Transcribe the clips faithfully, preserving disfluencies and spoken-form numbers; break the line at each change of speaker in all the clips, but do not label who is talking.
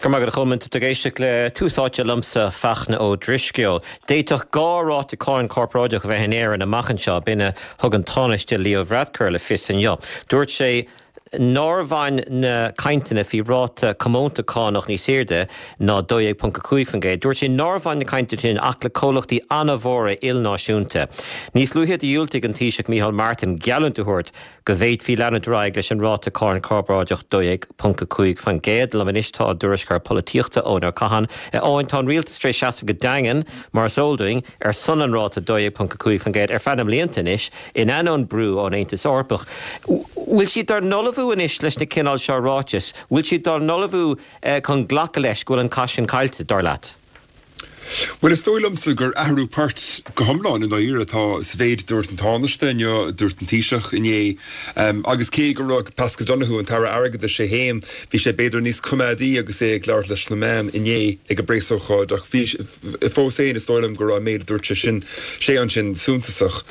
Go maith agat, a Cholmáin, ag éisteacht le Tús Áite liomsa, Fachtna Ó Drisceoil. D'fhéadfadh dhá ráta cáin corparáideach a bheith in Éirinn amach anseo, b'in a thug an Tánaiste Leo Varadkar le fios inniu. Dúirt sé nár bhain na cainteanna faoi ráta comónta cánach níos airde ná dó dhéag ponc a cúig faoin gcéad. Dúirt sé nár bhain na cainteanna sin ach le comhlachtaí an-mhóra ilnáisiúnta. Níos luaithe dhiúltaigh an Taoiseach Micheál Martin geallúint a thabhairt go bhféadfaí leanúint ar aghaidh leis an ráta cáin corparáideach dó dhéag ponc a cúig faoin gcéad. Liom anois tá ár dtuairisceoir polaitíochta Eoin Ó Catháin. Eoin, tá an rialtas tar éis seasamh go daingean, mar is eol dúinn, ar son an ráta dó dhéag ponc a cúig faoin gcéad ar feadh na mblianta anois, in ainneoin brú ón Aontas Eorpach. Bhfuil siad dár n-ullmhú anois leis na cineál seo ráiteas? Bhfuil siad dár n-ullmhú chun glacadh leis go bhfuil an cath sin caillte, dar leat?
Bhuel, is dóigh liomsa gur athrú poirt go hiomlán i ndáiríre atá sa mhéid a dúirt an Tánaiste inniu, a dúirt an Taoiseach inné. Agus cé go raibh Paschal Donohoe, an tAire Airgeadais é féin, bhí sé b'fhéidir níos coimeádaí agus é ag labhairt leis na meáin inné ag an bpreasócáid ach bhí, fós féin, is dóigh liom go raibh an méid a dúirt sé sin, sé ansin suntasach.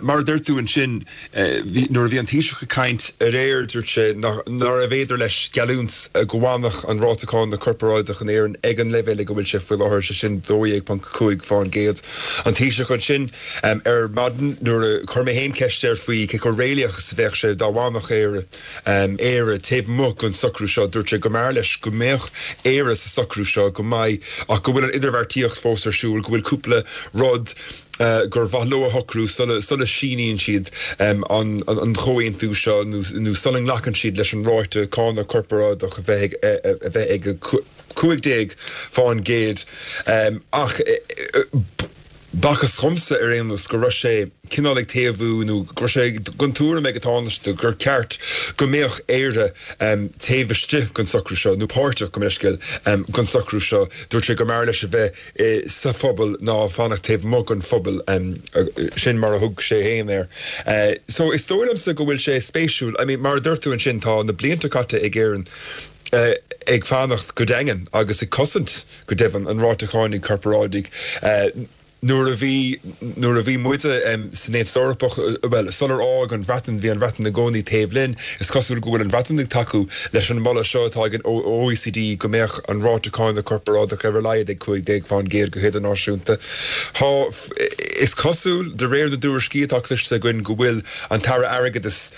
Mar a dúirt tú ansin, Nuair a bhí an Taoiseach ag caint aréir dúirt sé nárbh fhéidir leis geallúint go bhfanfadh an ráta cánach corparáideach in Éirinn ag an leibhéal ag a bhfuil sé faoi láthair, sé sin dó dhéag ponc cúig fán gcéad. An Taoiseach ansin ar maidin nuair a chuir mé féin ceist air faoi cé chomh réalaíoch is a bheadh sé dá bhfanfadh Éire Éire taobh amuigh den socrú seo, dúirt sé go mb'fhearr leis go mbeadh Éire sa socrú seo, go mbeidh ach go bhfuil an idirbheartaíocht fós ar siúl, go bhfuil cúpla rud gur mhaith leo a shocrú sula síníonn siad an chomhaontú seo nó sula nglacann siad leis an ráta cánach corparáideach a bheith a bheith ag cúig déag fán gcéad. Ach b'fhacthas dhomsa ar aon nós go raibh sé cineál ag taobhú nó go raibh sé den tuairim ag an Tánaiste gur ceart go mbeadh Éire taobh istigh den socrú seo nó páirteach, gabh mo leithscéal, den socrú seo. Dúirt sé go mb'fhearr leis a bheith sa phobal ná fanacht taobh amuigh den phobal, sin mar a thug sé féin air. So is dóigh liomsa go bhfuil sé spéisiúil, I mean mar a dúirt tú ansin tá na blianta caite ag Éirinn ag fanacht go daingean agus ag cosaint go deimhin an ráta cánach corparáidigh. Nuair a bhí, nuair a bhí muide san Aontas Eorpach, bhuel, sular fhág an Bhreatain, bhí an Bhreatain i gcónaí taobh linn. Is cosúil go bhfuil an Bhreatain ag tacú leis an moladh seo atá ag an OECD go mbeadh an ráta cánach corparáideach ar a laghad ag cúig déag fán gcéad go hidirnáisiúnta. Tá, is cosúil, de réir na dtuairiscí atá cloiste againn, go bhfuil an tAire Airgeadais,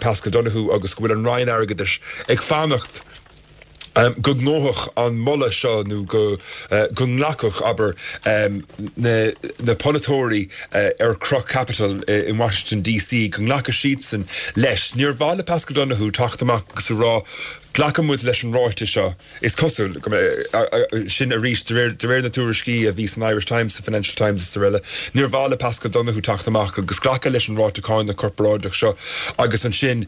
Paschal Donohoe, agus go bhfuil an Roinn Airgeadais ag fanacht go ngnóthódh an moladh seo nó go nglacfadh, abair, na polaiteoirí ar chroch Capitol in Washington DC, go nglacfadh siadsan leis. Níor mhaith le Paschal Donohoe teacht amach agus a rá, Glacann muid leis an ráiteas seo. Is cosúil, sin arís de réir na tuairiscí a bhí san Irish Times, sa Financial Times is araile, níor mhaith le Paschal Donohoe teacht amach agus glacadh leis an ráta cánach corparáideach seo agus ansin,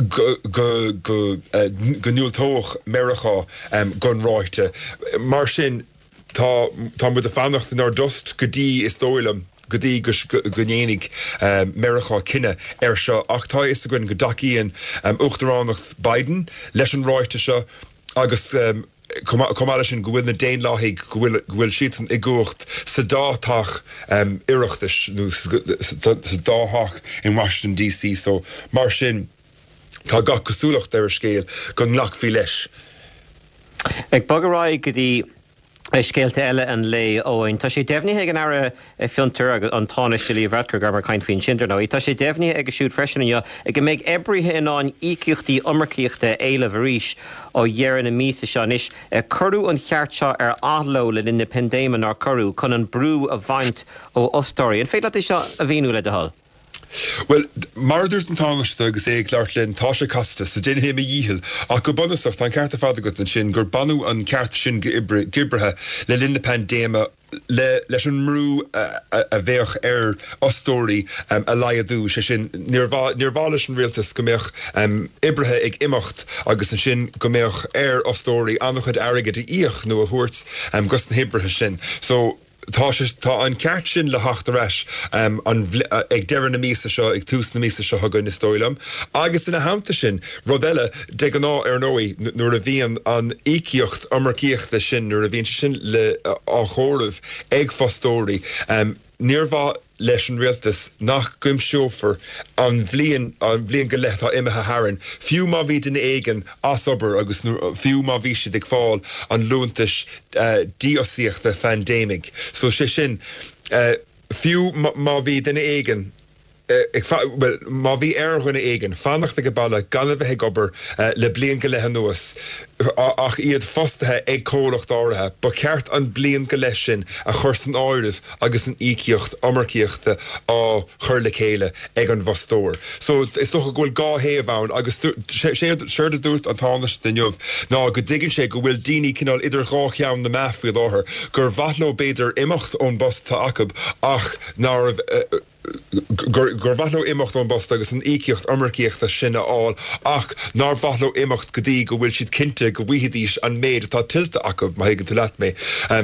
go ndiúltódh Meiriceá don ráta. Mar sin, tá tá muid ag fanacht inár dtost go dtí, is dóigh liom, go dtí go ndéanfaidh Meiriceá cinneadh air seo. Ach tá a fhios againn go dtacaíonn Uachtaránacht Biden leis an ráta seo agus, Chomh maith leis sin, go bhfuil na Daonlathaigh, go bhfuil, go bhfuil siadsan i gcumhacht sa dá theach Oireachtais, nó sa dá theach in Washington DC. So, mar sin, tá gach cosúlacht ar an scéal go nglacfaí leis.
Ag bogadh ar aghaidh go dtí scéalta eile an lae, Eoin. Tá sé deimhnithe ag an Aire Fiontar agus an Tánaiste Leo Varadkar, go rabhamar ag caint faoi ansin, dar ndóigh. Tá sé deimhnithe aige siúd freisin inniu go mbeidh oibrithe in ann íocaíochtaí iomarcaíochta a éileamh arís ó dheireadh na míosa seo. Anois, cuireadh an ceart seo ar athló le linn na paindéime, nár cuireadh, chun an brú a bhaint ó fhostóirí. An féidir leat é seo a mhíniú, le do thoil?
Bhuel, mar a dúirt an Tánaiste agus é ag labhairt linn, tá sé casta, so déanfaidh mé mo dhícheall. Ach go bunúsach, tá an ceart ar fad agat ansin gur baineadh an ceart sin d'oibrithe le linn na paindéime le leis an mbrú a bheadh ar fhostóirí a laghdú, sé sin, níor mhaith níor mhaith leis an rialtas go mbeadh oibrithe ag imeacht agus ansin go mbeadh ar fhostóirí an-chuid airgid a íoc nó a thabhairt dos na hoibrithe sin. So. Tá sé, tá an ceart sin le theacht ar ais an, ag deireadh na míosa seo, ag tús na míosa seo chugainn, is dóigh liom. Agus ina theannta sin, rud eile, de ghnáth, ar ndóigh, nuair a bhíonn an íocaíocht iomarcaíochta sin, nuair a bhíonn sé sin le, á chomhaireamh ag fostóirí, níor mhaith, leis an rialtas nach gcuimseofar an bhliain an bhliain go leith atá imithe tharainn, fiú má bhí duine éigin as obair agus fiú má bhí siad ag fáil an liúntais dífhostaíochta phaindéimigh. So sé sin, fiú má bhí duine éigin ag, bhuel, má bhí ar dhuine éigin fanacht ag baile gan a bheith ag obair le bliain go leith anuas ach iad fostaithe ag comhlacht áirithe, ba cheart an bliain go leith sin a chur san áireamh agus an íocaíocht iomarcaíochta á chur le chéile ag an bhfostóir. So is dócha go bhfuil dhá thaobh ann agus séard a dúirt an Tánaiste inniu ná go dtuigeann sé go bhfuil daoine cineál idir dhá cheann na meá faoi láthair, gur mhaith leo b'fhéidir imeacht ón bpost atá acu ach nárbh gur mhaith leo imeacht ón bpost agus an íocaíocht iomarcaíochta sin a fháil ach nár mhaith leo imeacht go dtí go bhfuil siad cinnte go bhfaighidís an méid atá tuillte acu, má thuigeann tú leat mé.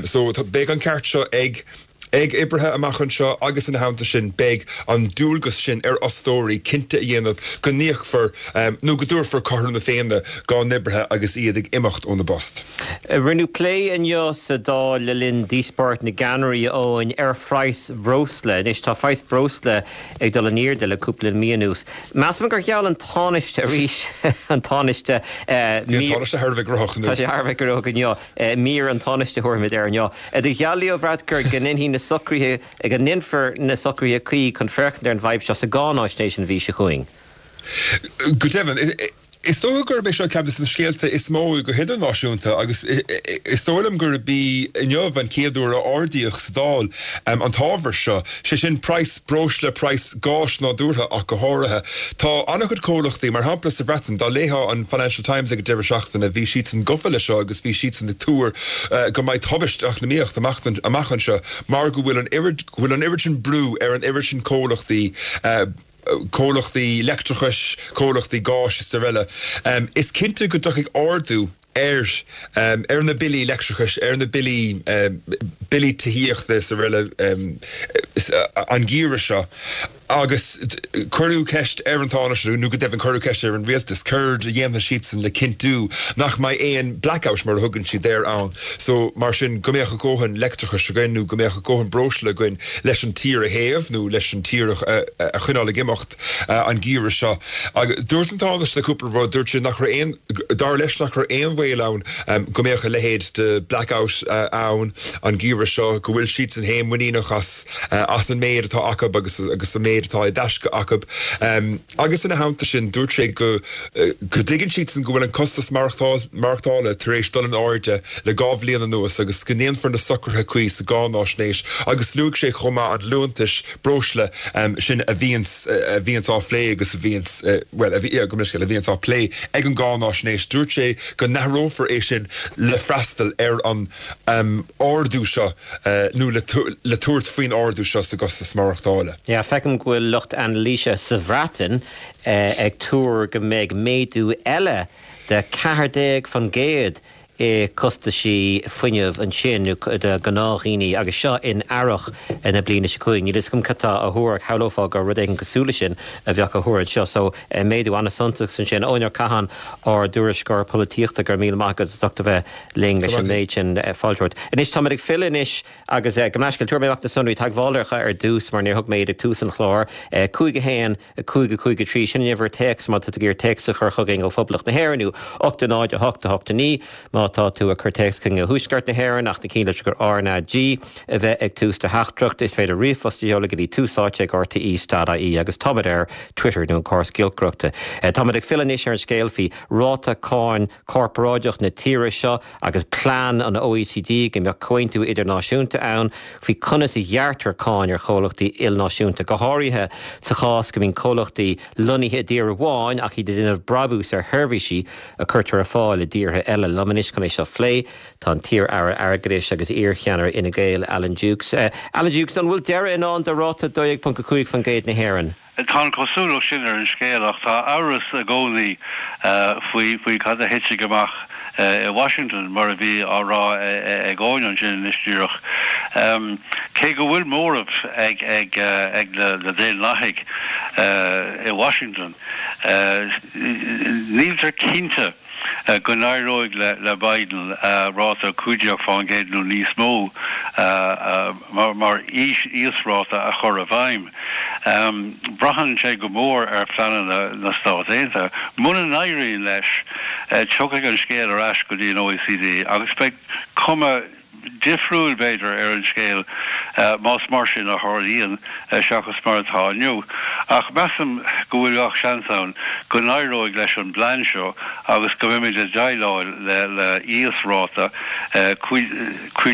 So beidh an ceart seo ag ag oibrithe amach anseo agus ina theannta sin beidh an dualgas sin ar fhostóirí cinnte a dhéanamh go n-íocfar nó go dtabharfar cothrom na Féinne dá n-oibrithe agus iad ag imeacht óna bpost.
Rinneadh plé inniu sa Dáil le linn díospóireacht na gceannairí, a Eoin, ar phraghas breosla. Anois tá praghas breosla ag dul in airde le cúpla mí anuas. Measaim gur gheall an Tánaiste arís, an Tánaiste,
Bhí an Tánaiste thar a bheith gnóthach
inniu. Tá sé thar a bheith gnóthach inniu. Mír an Tánaiste a thabharfaimid air inniu. Do gheall Leo Varadkar go ndéanfaí na socruithe, go ndéanfar na socruithe cuí chun féachaint ar an bhfadhb seo sa gcáináisnéis an mhí seo chugainn.
Go deimhin, is dócha gurb é seo ceann de na scéalta is mó go hidirnáisiúnta agus is dóigh liom gurb í inniu an chéad uair a ardaíodh sa Dáil an t-ábhar seo, sé sin praghas breosla, praghas gáis nádúrtha ach go háirithe. Tá an-chuid comhlachtaí, mar shampla sa Bhreatain, dá léifeá an Financial Times ag an deireadh seachtaine, bhí siadsan gofa leis seo agus bhí siadsan ag tuar go mbeidh tubaist eacnamaíocht amach anseo mar go bhfuil an oiread, go bhfuil an oiread sin brú ar an oiread sin comhlachtaí, comhlachtaí leictreachais, comhlachtaí gáis is araile. Is cinnte go dtiocfaidh ardú ar ar na billí leictreachais, ar na billí billí tithíochta is araile an geimhreadh seo agus cuireadh ceist ar an Tánaiste, nó go deimhin cuireadh ceist ar an Rialtas, céard a dhéanfaidh siadsan le cinntiú nach mbeidh aon blackout mar a thugann siad air ann. So mar sin go mbeadh a dhóthain leictreachais againn nó go mbeadh a dhóthain breosla againn leis an tír a théamh nó leis an tír a choinneáil ag imeacht an geimhreadh seo. Agus dúirt an Tánaiste cúpla rud, dúirt sé nach raibh aon, dar leis nach raibh aon bhaol ann go mbeadh a leithéid de blackout ann an geimhreadh seo, go bhfuil siadsan féin muiníneach as as an méid atá acu agus agus an méid atá i dtaisce acu. Agus ina theannta sin dúirt sé go go dtuigeann siadsan go bhfuil an costas maireachtála tar éis dul in airde le dhá bhliain anuas agus go ndéanfar na socruithe cuí sa gcáináisnéis agus luaigh sé chomh maith an liúntas breosla sin a bhíonns a bhíonns á phlé agus a bhíonns bhuel a bhí gabh mo leithscéal a bhíonns á plé ag an gcáináisnéis. Dúirt sé go n-athrófar é sin le freastal ar an ardú seo nó le le tabhairt faoin ardú seo sa gcostas maireachtála.
Yeah, feicim go bhfuil lucht anailíse sa Bhreatain ag tuar go mbeidh méadú eile de ceathair déag faoin gcéad i costaisí fuinnimh ansin do ghnáthdhaoine agus seo in earrach na bliana seo chugainn. Níl a fhios agam cad tá á thuar ach shamhlófá gur rud éigin cosúil leis sin a bheadh á thuar anseo. So méadú an-suntasach ansin. Eoin Ó Catháin, ár dtuairisceoir polaitíochta, go raibh míle maith agat as ucht a bheith linn leis an méid sin. Fáilte romhat. Anois táimid ag filleadh anois agus gabh mo leithscéal, tabharfaidh mé amach na sonraí teagmhála ar dtús mar níor thug mé iad ag tús an chláir. cúig a haon, a cúig, a cúig a trí, sin an uimhir téacs má tá tú ag iarraidh téacs a chur chugainn ó Phoblacht na hÉireann nó ocht a náid, a hocht, a hocht a naoi má tá tú ag cur téacs chugainn ó Thuaisceart na hÉireann ach ná cí litreacha R N A G a bheith ag tús do theachtaireacht. Is féidir ríomhphost a sheoladh go dtí tús áite ag rte dot ie agus táimid ar Twitter nó an córas giolcaireachta. Táimid ag filleadh anois ar an scéal faoi ráta cáin corparáideach na tíre seo agus plean an OECD go mbeadh comhaontú idirnáisiúnta ann faoi conas a ghearrtar cáin ar chomhlachtaí ilnáisiúnta, go háirithe sa chás go mbíonn comhlachtaí lonnaithe i dtír amháin ach iad ag déanamh brabús ar sheirbhísí a chuirtear ar fáil i dtíortha eile. Liom anois chun é seo a phlé tá an t-iar-aire airgeadais agus iar-cheannaire Fhine Gael, Alan Dukes. Alan Dukes, an bhfuil deireadh i ndán do ráta dó dhéag ponc a cúig faoin gcéad na hÉireann?
Tá an chosúlacht sin ar an scéal ach tá amhras i gcónaí faoi faoi cad a thitfidh amach i Washington, mar a bhí á rá ag Eoin ansin anois díreach. Cé go bhfuil móramh ag ag ag na Daonlathaigh i Washington, níltear cinnte go n-éireoidh le le Biden ráta cúig déag fán gcéad nó níos mó mar mar íosráta a chur i bhfeidhm. Braitheann sé go mór ar phleananna na Stát Aontaithe. Muna n-éiríonn leis, tiocfaidh an scéal ar ais go dtí an OECD agus beidh cuma difriúil b'fhéidir ar an scéal más mar sin a tharlaíonn seachas mar atá inniu. Ach measaim go bhfuil gach seans ann go n-éireoidh leis an bplean seo agus go mbeimid ag déileáil le le íosráta cúig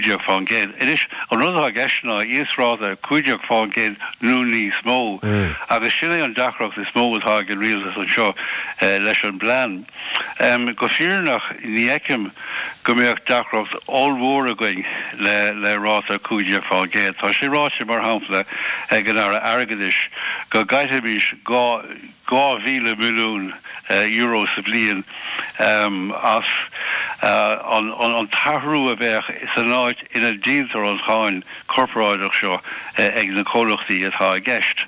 déag fán gcéad. Anois, an rud atá i gceist ná íosráta cúig déag fán gcéad nó níos mó agus sin é an deacracht is mó atá ag an rialtas anseo leis an bplean. Go fírinneach ní fheicim go mbeadh deacracht ollmhór againn le le ráta cúig déag fán gcéad. Tá sé ráite, mar shampla, ag an Aire Airgeadais go gcaillfimis dhá dhá mhíle milliún euro sa bhliain as an an t-athrú a bheadh san áit ina ndíoltar an cháin chorparáideach seo ag na comhlachtaí atá i gceist.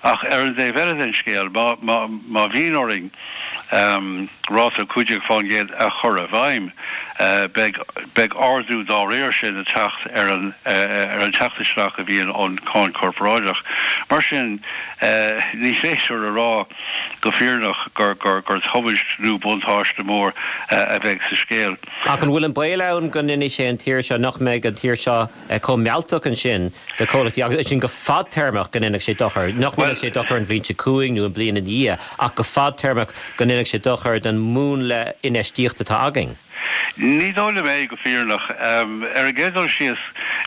Ach ar an dtaobh eile den scéal, má má má bhíonn orainn ráta cúig déag fán gcéad a chur i bhfeidhm, beidh beidh ardú dá réir sin ag teacht ar an ar an teacht isteach a bhíonn ón cháin chorparáideach. Mar sin, ní féidir a rá go fírinneach gur gur gur tubaist nó buntáiste mór a bheidh sa scéal.
Ach an bhfuil an baol ann go ndéanfaidh sé an tír seo, nach mbeidh an tír seo chomh mealltach ansin do chomhlachtaí agus sin go fadtéarmach go ndéanfaidh sé dochar, nach ndéanfaidh sé dochar an bhliain seo chugainn nó an bhliain ina dhiaidh ach go fadtéarmach go ndéanfaidh sé dochar don mhúnla infheistíochta atá againn?
Ní dóigh liom é go fírinneach. Ar an gcéad dul síos,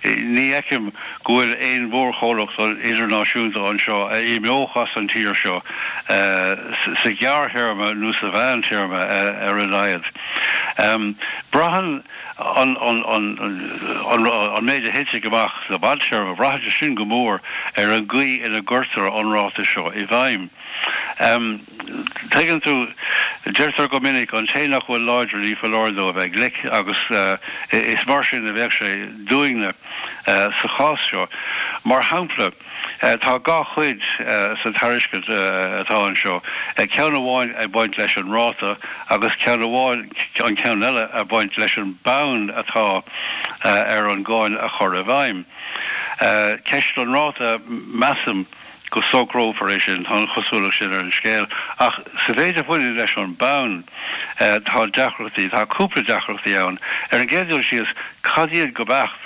ní fheicim go bhfuil aon mhórchomhlacht idirnáisiúnta anseo a imeodh as an tír seo sa ghearrthéarma nó sa mheántéarma ar a laghad. Braitheann an méid a thitfidh amach sa bhfadtéarma, braitheann sé sin go mór ar an gcaoi ina gcuirtear an ráta seo i bhfeidhm. Tuigeann tú, deirtear go minic, an té nach bhfuil láidir ní foláir dó a bheith glic agus is mar sin a bheadh sé dúinne sa chás seo. Mar shampla, tá dhá chuid sa tairiscint atá anseo, ceann amháin ag baint leis an ráta agus ceann amháin, an ceann eile ag baint leis an mbonn atá ar an gcáin a chur i bhfeidhm. Ceist an ráta, measaim, go socrófar é sin, tá an chosúlacht sin ar an scéal. Ach sa mhéid a bhaineann leis an mbonn, tá deacrachtaí, tá cúpla deacrachtaí ann. Ar an gcéad dul síos, cad iad go beacht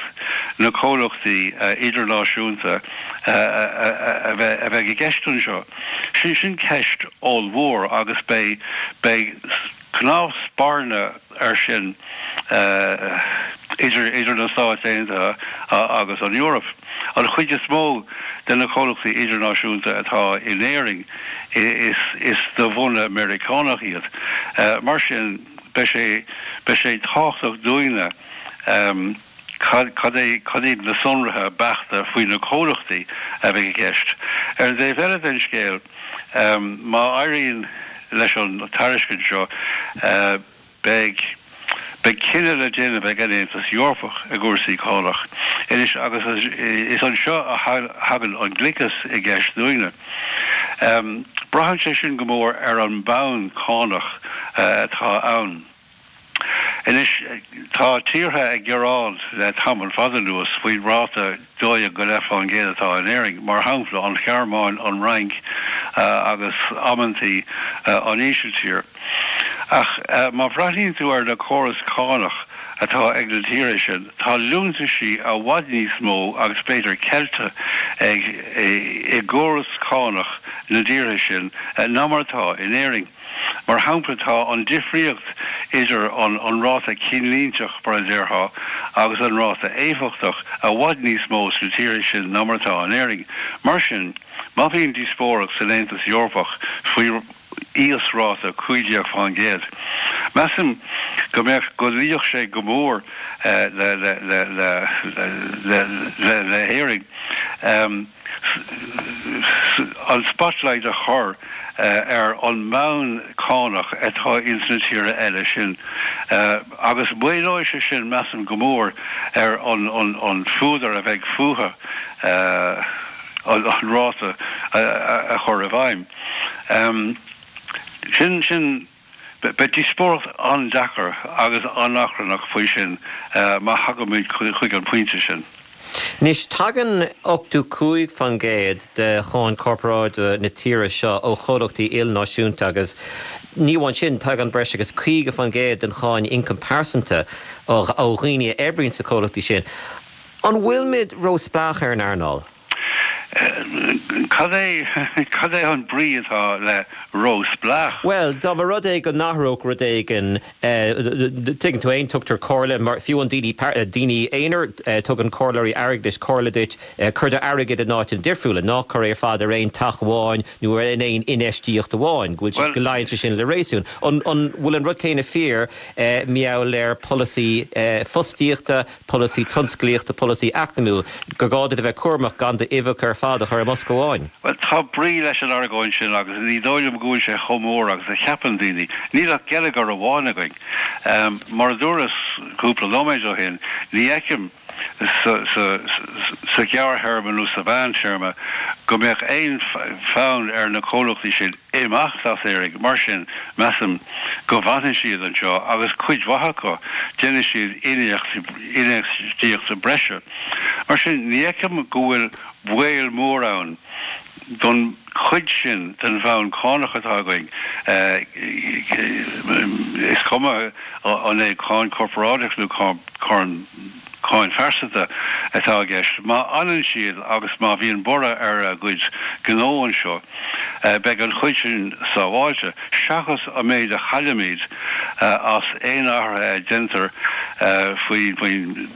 na comhlachtaí idirnáisiúnta a bheidh i gceist anseo? Sin sin ceist ollmhór agus beidh beidh cnámh spairne air sin idir idir na Stáit Aontaithe agus an Eoraip. An chuid is mó de na comhlachtaí idirnáisiúnta atá in Éirinn is is de bhunadh Meiriceánach iad. Mar sin beidh sé beidh sé tábhachtach dúinne cad cad é cad iad na sonraithe beachta faoi na comhlachtaí a bheidh i gceist. Ar an dtaobh eile den scéal, má éiríonn leis an tairiscint seo, beidh beidh cinneadh le déanamh ag an Aontas Eorpach i gcúrsaí cánach. Anois, agus is anseo a thagann an gliceas i gceist dúinne. Braitheann sé sin go mór ar an mbonn cánach atá ann. Anois, tá tíortha ag gearán le tamall fada anuas faoin ráta dó dhéag go leith fán gcéad atá in Éirinn, mar shampla, an Ghearmáin, an Fhrainc agus amantaí an Ísiltír. Ach má bhreathnaíonn tú ar na córais cánach atá ag na tíortha sin, tá liúntaisí i bhfad níos mó agus b'fhéidir ceilte ag i gcóras cánach na dtíortha sin ná mar atá in Éirinn. Mar shampla, tá an difríocht idir an ráta cinnlínteach, mar a déarfá, agus an ráta éifeachtach i bhfad níos mó sna tíortha sin ná mar atá in Éirinn. Mar sin, má bhíonn díospóireacht san Aontas Eorpach faoi íosráta cúig déag fán gcéad, measaim go mbeadh, go luífeadh sé go mór le le le le le le le hÉirinn. an spotlight a chur ar an mbonn cánach atá ins na tíortha eile sin agus maolóidh sé sin, measaim, go mór ar an fuadar a bheidh fúthu an ráta a chur i bhfeidhm. Sin, sin. Beidh díospóireacht an-deacair agus an-achrannach faoi sin má thagaimid chuig an bpointe sin.
Anois, tagann ochtó cúig faoin gcéad de cháin chorparáide na tíre seo ó chomhlachtaí ilnáisiúnta agus ní amháin sin, tagann breis agus caoga faoin gcéad den cháin ioncam pearsanta ó dhaoine a oibríonn sna comhlachtaí sin. An bhfuilimid róspleách ar an earnáil?
Cad é cad é an brí atá le róspleách?
Bhuel, dá mba rud é go n-athródh rud éigin, tuigeann tú féin, tugtar comhairle, mar fiú an daoine daoine aonair, tugann comhairleoirí airgeadais comhairle duit, cuir d'airgead in áiteanna difriúla, ná cuir é ar fad ar aon teach amháin nó ar aon infheistíocht amháin, go bhfuil sé, go luíonn sé sin le réasún. An an bhfuil an rud céanna fíor mar gheall ar polasaí fostaíochta, polasaí tionsclaíochta, polasaí eacnamúil, gur gá duit a bheith cúramach gan d'uibheacha ar fad a chur i mbosca amháin.
Bhuel, tá brí leis an argóint sin agus ní dóigh liom go bhfuil sé chomh mór agus a cheapann daoine. Níl ach geilleagar amháin againn. Mar a dúras cúpla nóiméad ó shin, ní fheicim sa ghearrthéarma nó sa mheántéarma go mbeadh aon fhonn ar na comhlachtaí sin imeacht as Éirinn. Mar sin, measaim go bhfanfaidh siad anseo agus cuid mhaith acu, déanfaidh siad infheistíocht breise. Mar sin, ní fheicim go bhfuil baol mór ann don chuid sin den bhonn cánach atá againn, is cuma an é cáin chorparáideach nó cáin cáin phearsanta atá i gceist. Má fhanann siad agus má bhíonn borradh ar a gcuid gnó anseo, beidh an chuid sin sábháilte, seachas an méid a chaillfimid as aon athruithe a déantar faoin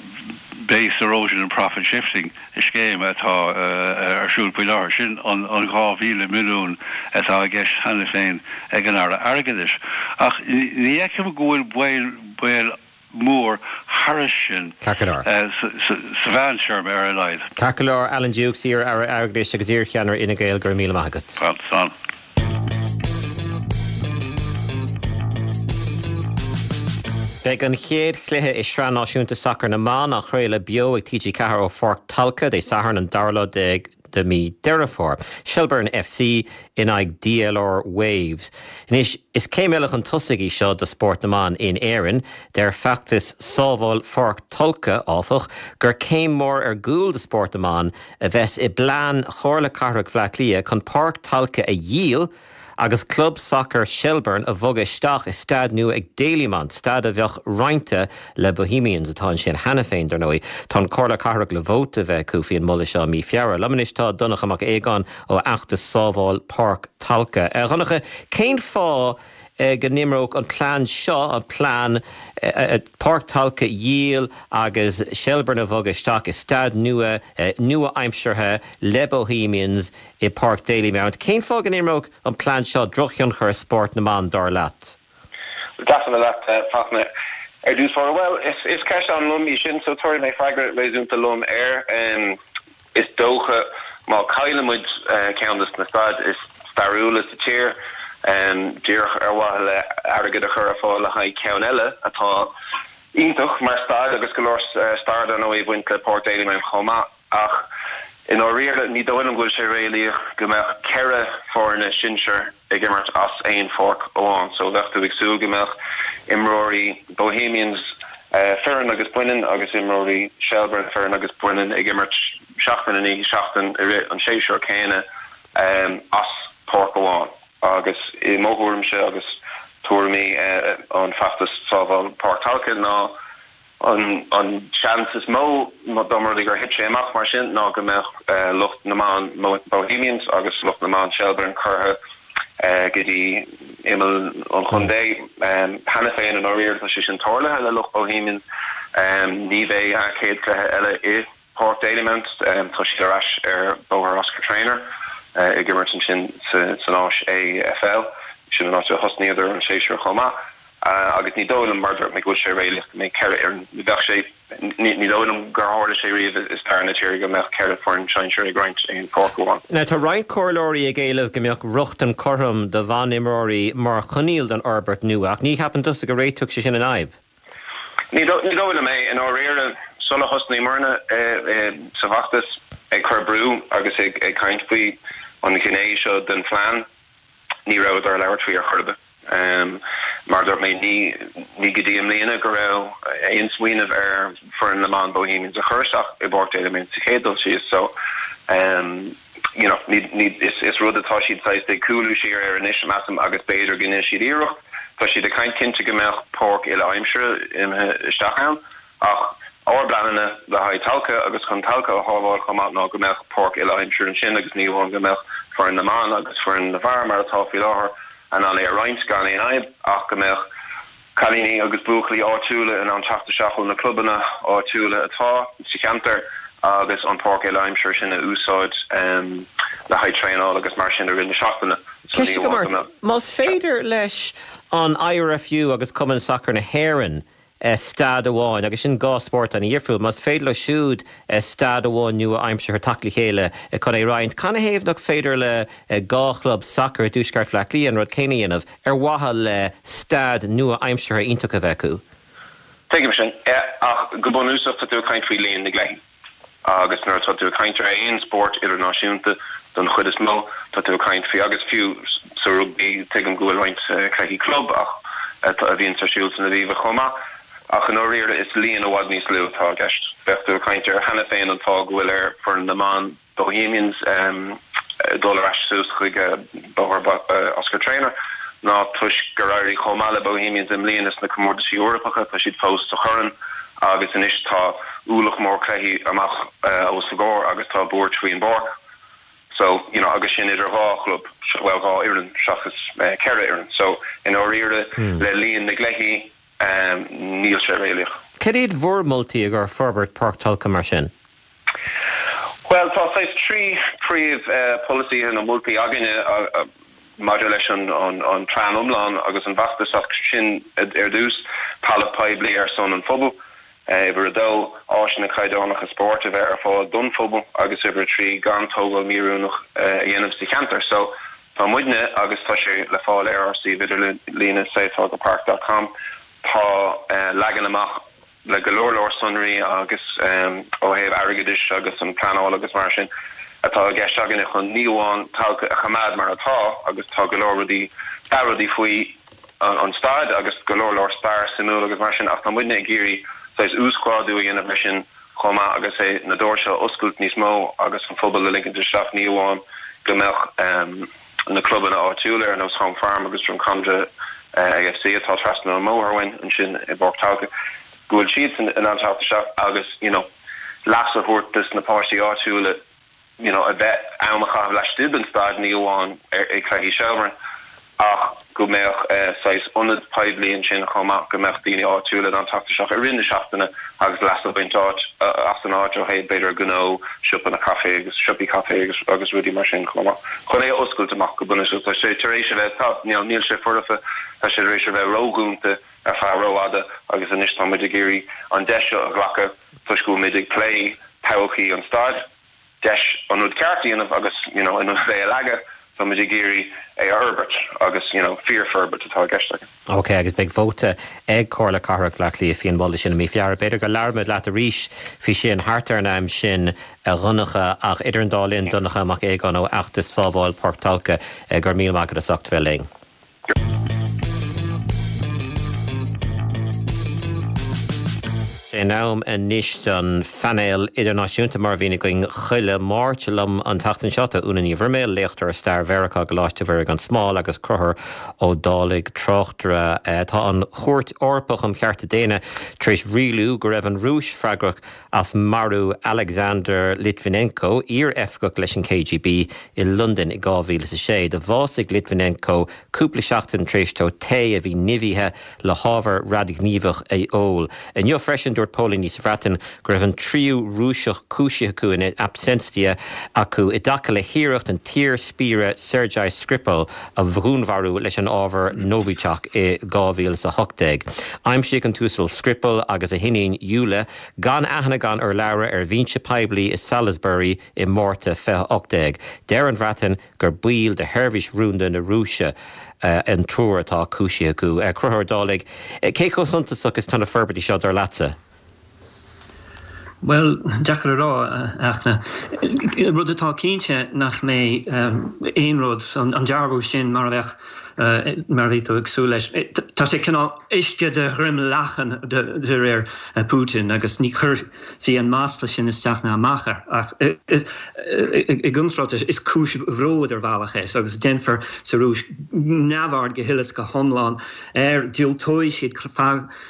Base Erosion and Profit Shifting scéim atá ar siúl faoi láthair. Sin an dhá mhíle milliún atá i gceist cheana féin ag an Aire Airgeadais. Ach ní fheicim go bhfuil baol mór thairis sin sa mheántéarma ar a laghad.
Ceart go leor, Alan Dukes, iar-Aire Airgeadais agus iar-cheannaire Fhine Gael, go raibh míle maith agat.
Slán.
Beidh an chéad chluiche i Sraith Náisiúnta Sacair na mBan á chraoladh beo ag T G ceathair ó Pháirc Tolka Dé Sathairn an dara lá déag de mhí Deireadh Fómhair. Shelbourne F C in aghaidh D L R Waves. Anois, is céim eile chun tosaigh í seo do spórt na mban in Éirinn. Deir feachtas Sábháil Pháirc Tolka, áfach, gur céim mhór ar gcúl do spórt na mban a bheas i bplean Chomhairle Cathrach Bhaile Átha Cliath chun Páirc Tolka a dhíol agus club sacair Shelbourne a bhogadh isteach i staid nua ag Dalymount, staid a bheadh roinnte le Bohemians, atá ansin cheana féin, dar ndóigh. Tá an Chomhairle Cathrach le vóta a bheith acu faoin moladh seo i mí Feabhra. Liom anois tá Donncha Mac Aogáin ó fheachtas Sábháil Páirc Tolka. A Dhonncha, cén fáth go n-imreodh an plean seo, an plean Páirc Tolka a dhíol agus Shelbourne a bhogadh isteach i staid nua nua-aimseartha le Bohemians i bPáirc Dalymount, cén fáth go n-imreodh an plean seo drochthionchar ar spórt na mban, dar leat?
Deas a bheith leat, Fachtna. Ar dtús báire, bhuel, is ceist an-lom í sin, so tabharfaidh mé freagra réasúnta lom air. Is dócha, má chailleann muid ceann de na staid is stairiúla sa tír, díreach ar mhaithe le airgead a chur ar fáil le haghaidh ceann eile atá iontach mar staid agus go leor stair dar ndóigh ag baint le Páirc Dalymount chomh maith. Ach i ndáiríre, ní dóigh liom go bhfuil sé réalaíoch go mbeadh ceithre foirne sinsir ag imirt as aon pháirc amháin. So bheadh tú ag súil go mbeadh imreoirí Bohemians fireann agus baineann agus imreoirí Shelbourne fireann agus baineann ag imirt seachtain i ndiaidh seachtain i rith an séasúir céanna as páirc amháin. Agus i mo thuairimse agus tuairimí an feachtas Sábháil Páirc Tolka ná an seans is mó dá mba rud é gur thit sé amach mar sin ná go mbeadh lucht na mban Bohemians agus lucht na mban Shelbourne curtha go dtí imeall an chontae. Cheana féin i ndáiríre tá sé sin tarlaithe le lucht Bohemians. Ní bheidh a chéad chluiche eile i Páirc Dalymount. Tá siad ar ais ar Bhóthar Oscar Traynor ag imirt ansin san áis A F L. Sin an áit a thosnaíodar an séasúr chomh maith. Agus ní dóigh liom, mar a dúirt mé, go bhfuil sé réalaíoch go mbeidh ceithre fhoireann, ní bheadh sé, ní dóigh liom gur tharla sé riamh i stair na tíre go mbeadh ceithre foireann sinsir ag roinnt aon pháirc amháin.
Now tá roinnt comhairleoirí ag éileamh go mbeadh rochtain cothrom do bhanimreoirí mar choinníoll don fhorbairt nua, ach ní cheapann tusa go réiteodh sé sin an fhadhb?
Ní dóigh liom é. I ndáiríre, sula thosnaíomarna sa bhfeachtas ag cur brú agus ag caint faoi an ghné seo den phlean, ní rabhadar ag labhairt faoi ar chor ar bith. Mar dúirt mé, ní ní go dtí i mbliana go raibh aon smaoineamh ar foireann na mban Bohemians a chur isteach i bPáirc Dalymount sa chéad dul síos so um, you know, ní, ní, is, is rud atá siad saghas ag cúlú siar air anois measaim agus b'fhéidir go ndéanfaidh siad iarracht. Tá siad ag caint cinnte go mbeadh páirc uile-aimsire imithe isteach ann ach ár bpleananna le haghaidh Tolka agus chun Tolka a shábháil chomh maith ná go mbeadh páirc uile-aimsire ansin agus ní amháin go mbeadh foireann na mban agus foireann na bhfear mar atá faoi láthair in ann é a roinnt gan aon fhadhb ach go mbeadh cailíní agus buachaillí áitiúla in ann teacht isteach ó na clubanna áitiúla atá sa cheantar agus an páirc uile-aimsire sin a úsáid le haghaidh traenáil agus mar sin i rith na seachtaine. So ní
Ceist agam
amháin
ort,
go mbeadh.
más féidir leis an I R F U agus Cumann Sacair na hÉireann staid amháin, agus sin dhá spórt an-difriúil, más féidir leo siúd staid amháin nua-aimseartha teacht le chéile chun é roinnt, canathaobh nach féidir le dhá chlub sacair i dtuaisceart Bhaile Átha Cliath an rud céanna a dhéanamh ar mhaithe le staid nua-aimseartha iontach a bheith acu?
Tuigim sin, ach go bunúsach tá tú ag caint faoi líon na gcluichí. Agus nuair atá tú ag caint ar aon spórt idirnáisiúnta don chuid is mó, tá tú ag caint faoi, agus fiú sa rugbaí, tuigim go bhfuil roinnt cluichí club ach a bhíonn ar siúl san Aviva chomh maith, ach i ndáiríre is líon i bhfad níos lú atá i gceist. Bheadh tú ag caint ar cheana féin an fáth go bhfuil ar foireann na mban Bohemians dul ar ais suas chuig Bóthar Oscar Traynor ná toisc gur éirigh chomh maith le Bohemians i mbliana sna comórtaisí Eorpacha, tá siad fós sa chorn agus anois tá ualach mór cluichí amach os a gcomhair agus tá buairt faoin bpáirc. So, you know, agus sin idir dhá chlub, bhuel dhá fhoireann seachas ceithre fhoireann. So, i ndáiríre le líon na gcluichí níl sé réalaíoch.
Cad iad bhur moltaí i gcomhair forbairt Páirc Tolka mar sin?
Bhuel, tá saghas trí príomh polasaithe nó moltaí againne maidir leis an an plean iomlán agus an bhfeachtas ach sin ar dtús, talamh poiblí ar son an phobail, uimhir a dó, áiseanna caighdeánacha spóirt a bheith ar fáil don phobal agus uimhir a trí, gan tógáil mhíoiriúnach a dhéanamh sa cheantar. So tá muidne agus tá sé le fáil ar ár suíomh idirlíne savetolkapark dot com tá leagan amach le go leor leor sonraí agus ó thaobh airgeadais agus an pleanáil agus mar sin atá i gceist againne chun ní amháin Tolka a choimeád mar atá agus tá go leor rudaí dea-rudaí faoi an staid agus go leor leor stair suimiúil agus mar sin ach tá muidne ag iarraidh saghas uasghrádú a dhéanamh air sin chomh maith agus é na doirse a oscailt níos mó agus an phobal a ligint isteach ní amháin go mbeadh na clubanna áitiúla ar nós Home Farm agus Drumcondra A F C atá trasna an mbóthar uainn ansin i bPáirc Tolka go bhfuil siadsan in ann teacht isteach agus you know leas a thabhairt dos na páistí áitiúla you know a bheith am a chaitheamh laistigh den staid ní amháin ar ag cluichí Shelbourne ach go mbeadh saghas ionad poiblí ansin chomh maith go mbeadh daoine áitiúla in ann teacht isteach i rith na seachtaine agus leas a bhaint áit as an áit ó thaobh b'fhéidir gnó, siopanna caife agus siopaí caife agus agus rudaí mar sin chomh maith. Chun é a oscailt amach go bunúsach. Tá sé tar éis a bheith tá níl níl sé foirfe, tá sé tar éis a bheith ródhúnta ar feadh rófhada agus anois tá muid ag iarraidh an deis seo a ghlacadh toisc go bhfuil muid ag plé todhchaí an staid, deis an rud ceart a dhéanamh agus you know in ionad é a leagadh tá muid ag iarraidh é a fhorbairt agus you know fíorfhorbairt atá i gceist againn.
Ok, agus beidh vóta ag Comhairle Cathrach Bhaile Átha Cliath faoin mholadh sin i mí Feabhra. B'fhéidir go labhróimid leat arís faoi sin thart ar an am sin a Dhonncha ach idir an dá linn Donncha Mac Aogáin ó fheachtas Sábháil Páirc Tolka go raibh míle maith agat as ucht bheith linn. In am anois don phainéal idirnáisiúnta mar a bhíonn againn chuile Máirt. Liom an tseachtain seo tá Úna Ní Bhroiméil, léachtóir i stair Mheiriceá i gColáiste Mhuire gan Smál agus Conchúr Ó Dálaigh, tráchtaire. Tá an Chúirt Eorpach um Chearta Daonna tar éis rialú go raibh an Rúis freagrach as marú Alexander Litvinenko, iar-oifigeach leis an K G B i Londain i dhá mhíle is a sé. Do bhásaigh Litvinenko cúpla seachtain tar éis dó tae a bhí nimhithe le hábhar radaighníomhach a ól. Inniu freisin dúirt póilíní sa Bhreatain go raibh an tríú Rúiseach cúisithe acu in absentia acu i dtaca le hiarracht an t-iar-spiaire Sergei Skripal a dhúnmharú leis an ábhar Novichok i dhá mhíle is a hocht déag. Aimsíodh an tUasal Skripal agus a hiníon Yulia gan aithne gan urlabhra ar bhinse poiblí i Salisbury i Márta fiche a hocht déag. Deir an Bhreatain gur baill de sheirbhís rúnda na Rúise an triúr atá cúisithe acu. Conchúr Ó Dálaigh, cé chomh suntasach is atá na forbairtí seo dar leatsa?
Bhuel, deacair a rá, a Fhachtna. Rud atá cinnte nach mbeidh aon rud, an dearbhú sin mar a bheadh mar a bhí tú ag súil leis. Tá sé cineál uisce de dhroim leacan de réir Putin agus ní chuirfí an masla sin isteach ná amach air ach i gcontráth is cúis bhróid ar bhealach é agus déanfar sa Rúis neamhaird go huile is go hiomlán air, diúltóidh siad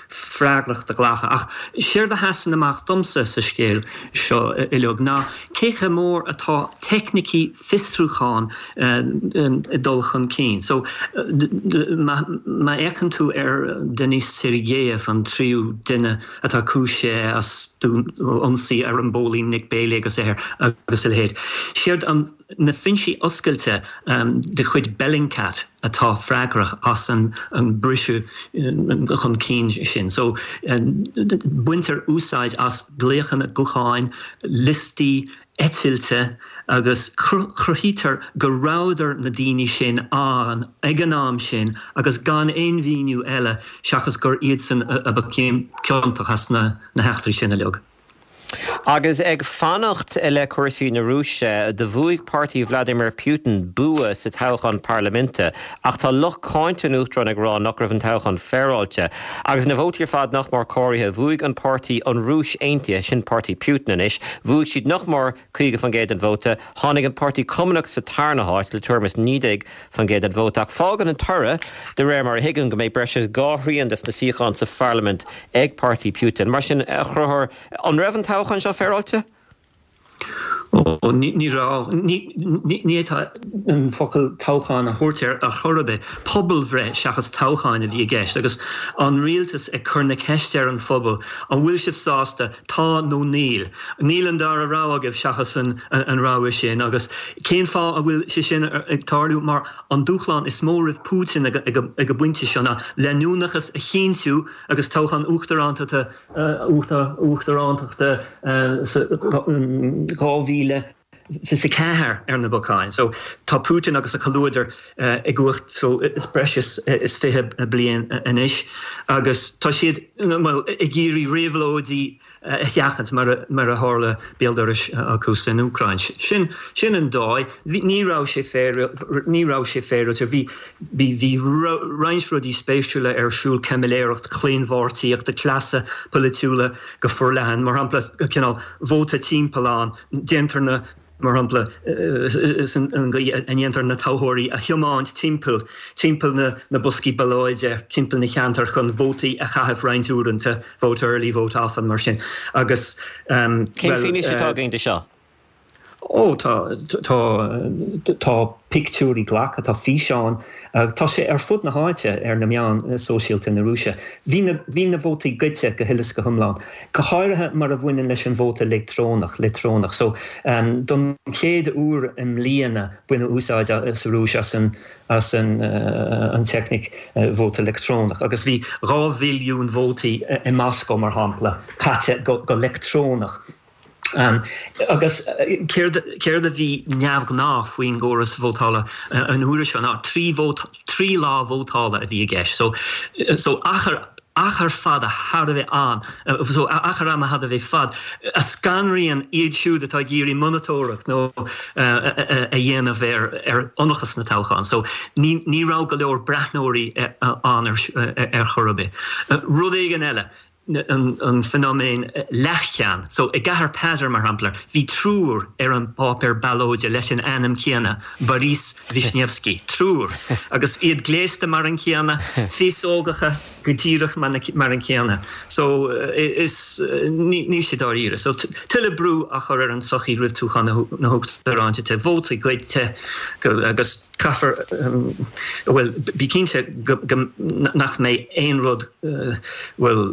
freagracht a ghlacadh. Ach séard a sheasann amach domsa sa scéal seo uilig ná cé chomh mór atá teicnící fiosrúcháin ag dul chun cinn. So má fhéachann tú ar Denis Sergeyev, an tríú duine atá cúisithe as ionsaí ar an bpóilín Nick Bailey agus a agus a leithéid, séard an na foinsí oscailte de chuid Bellingcat atá freagrach as an an briseadh chun cinn sin. So baintear úsáid as glaochanna gutháin, liostaí eitilte agus cruthaítear go rabhadar na daoine sin ann ag an am sin agus gan aon mhíniú eile seachas gur iadsan a ba ciontach as na heachtraí sin uilig.
Agus ag fanacht le cúrsaí na Rúise, do bhuaigh páirtí Vladimir Putin bua sa toghchán parlaiminte, ach tá lucht cáinte an uachtaráin ag rá nach raibh an toghchán féaráilte. Agus na vótaí ar fad nach mór comhairthe, bhuaigh an páirtí an Rúis Aontaithe, sin páirtí Putin anois, bhuaigh siad nach mór caoga faoin gcéad den vóta, tháinig an páirtí Cumannach sa tarna háit le tuairim is naoi déag faoin gcéad den vóta. Ach fágann an toradh, de réir mar a thuigim, go mbeidh breis is dhá thrian des na suíocháin sa pharlaimint ag páirtí Putin. Mar sin, a Chonchúir, an raibh an toghchán seo féaráilte?
Ó, ní raibh. Ní fhéadfá an focal toghchán a thabhairt air ar chor ar bith. Pobalbhreith seachas toghchán a bhí i gceist agus an rialtas ag cur na ceiste ar an phobal, an bhfuil sibh sásta, tá nó níl? Níl an dara rogha agaibh seachas an rogha sin. Agus cén fáth a bhfuil sé sin ag tarlú? Mar an dúshlán is mó roimh Putin ag an bpointe seo ná leanúnachas a chinntiú agus toghchán uachtarántachta uachtarántachta sa dhá mhíle fiche ceathair ar na bacáin. So tá Putin agus a chomhluadar i gcumhacht so is breis is fiche bliain anois agus tá siad well ag iarraidh réabhlóidí a sheachaint mar mar a tharla béal dorais acu san Úcráin. Sin sin an dóigh. Ní raibh sé féar ní raibh sé féaráilte. Bhí bhí bhí roinnt rudaí spéisiúla ar siúl caimiléireacht, claonpháirtíocht, cleasa polaitiúla go forleathan, mar shampla cineál vóta timpeallán, déantar na mar shampla is an gcaoi a ndéantar na toghthóirí a thiomáint timpeall timpeall na na boscaí ballóide, timpeall na cheantar chun vótaí a chaitheamh roinnt uaireanta, vote early, vote often mar sin. Agus
um, Cén fianaise atá againn de seo?
Ó tá tá tá pictiúirí glactha, tá físeáin, tá sé ar fud na háite ar na meáin sóisialta na Rúise. Bhí na bhí na vótaí goidte go huile is go hiomlán. Go háirithe mar a bhaineann leis an vóta leictreonach, leictreonach. So um, don chéad uair i mbliana baineadh úsáid sa Rúis as an as an uh, an teicníc uh, vóta leictreonach. Agus bhí dhá mhilliún vótaí i Moscó mar shampla caite go, go leictreonach. Um, agus céard céard a bhí neamhghnách faoin gcóras vótála an uair seo ná trí vót trí lá vótála a bhí i gceist. So so achar achar fada thar a bheith ann so achar ama thar a bheith fad a scanraíonn iad siúd atá ag iarraidh monatóireacht nó a dhéanamh ar ar ionracas na toghchán. So ní ní raibh go leor breathnóirí ann ar ar chor ar bith. Rud éigin eile. an, an feiniméan leathcheann. So i gcathair Peter mar shampla, bhí triúr ar an bpáipéar ballóide leis an ainm céanna, Boris Vishnevsky, triúr, agus iad gléasta mar an chéanna, féasógacha go díreach mar an chéanna. So is ní, ní sé dáiríre. So tuilleadh brú a chur ar an tsochaí roimh toghchán na huachtarántachta, vótaí goidte agus caithfear bhuel bí cinnte go, go, nach mbeidh aon rud bhuel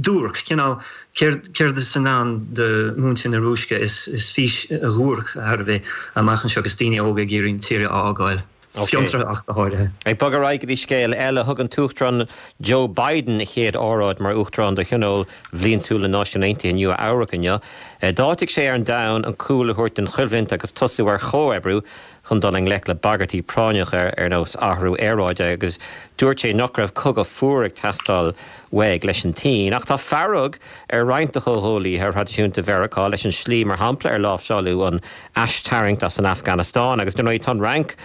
duairc cineál céard céard is i ndán do mhuintir na Rúise is is fís dhuairc thar a bheith amach anseo agus daoine óga ag iarraidh an tír a fhágáil. Fiontraithe ach go háirithe.
Ag bogadh ar aghaidh go dtí scéal eile, thug an tUachtarán Joe Biden a chéad óráid mar Uachtarán do Thionól Bhliantúil na Náisiún Aontaithe i Nua Eabhrac inniu. D'áitigh sé ar an domhan an cúl a thabhairt don choimhlint agus tosú ar chomhoibriú chun dul i ngleic le bagairtí práinneacha ar nós athrú aeráide agus dúirt sé nach raibh cogadh fuar ag teastáil uaidh leis an tSín. Ach tá fearg ar roinnt de chomhghuaillithe thraidisiúnta Mheiriceá leis an slí mar shampla ar láimhseáladh an aistarraingt as an Afganastáin agus dar ndóigh tá an Fhrainc